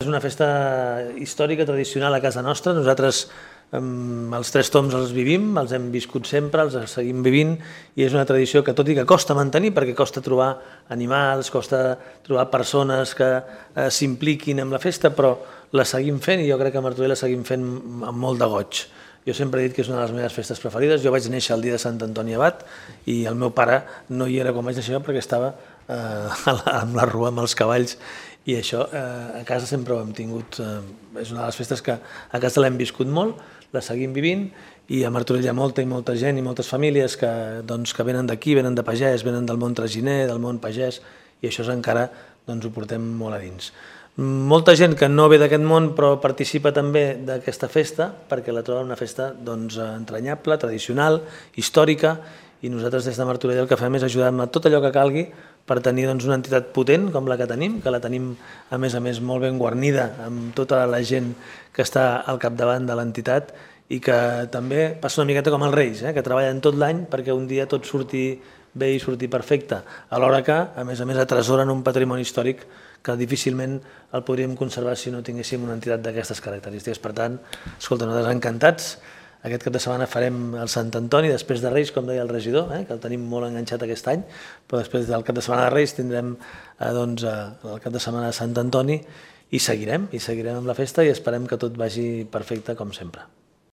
una festa històrica, tradicional a casa nostra. Nosaltres els Tres Tombs els vivim, els hem viscut sempre, els seguim vivint, i és una tradició que, tot i que costa mantenir, perquè costa trobar animals, costa trobar persones que s'impliquin en la festa, però la seguim fent, i jo crec que a Martorell la seguim fent amb molt de goig. Jo sempre he dit que és una de les meves festes preferides. Jo vaig néixer el dia de Sant Antoni Abat i el meu pare no hi era quan vaig néixer perquè estava amb la rua, amb els cavalls, i això a casa sempre ho hem tingut. És una de les festes que a casa l'hem viscut molt, la seguim vivint, i a Martorell hi ha molta i molta gent i moltes famílies que venen d'aquí, venen de pagès, venen del món traginer, del món pagès, i això encara ho portem molt a dins. Molta gent que no ve d'aquest món però participa també d'aquesta festa perquè la troba una festa entranyable, tradicional, històrica, i nosaltres des de Martorell el que fem és ajudar amb tot allò que calgui per tenir una entitat potent com la que la tenim a més molt ben guarnida amb tota la gent que està al capdavant de l'entitat, i que també passa una miqueta com els Reis, que treballen tot l'any perquè un dia tot surti bé i surti perfecte, alhora que a més atresoren un patrimoni històric que difícilment el podríem conservar si no tinguéssim una entitat d'aquestes característiques. Per tant, escolta, nosaltres encantats. Aquest cap de setmana farem el Sant Antoni, després de Reis, com deia el regidor, que el tenim molt enganxat aquest any, però després del cap de setmana de Reis tindrem el cap de setmana de Sant Antoni, i seguirem amb la festa i esperem que tot vagi perfecte com sempre.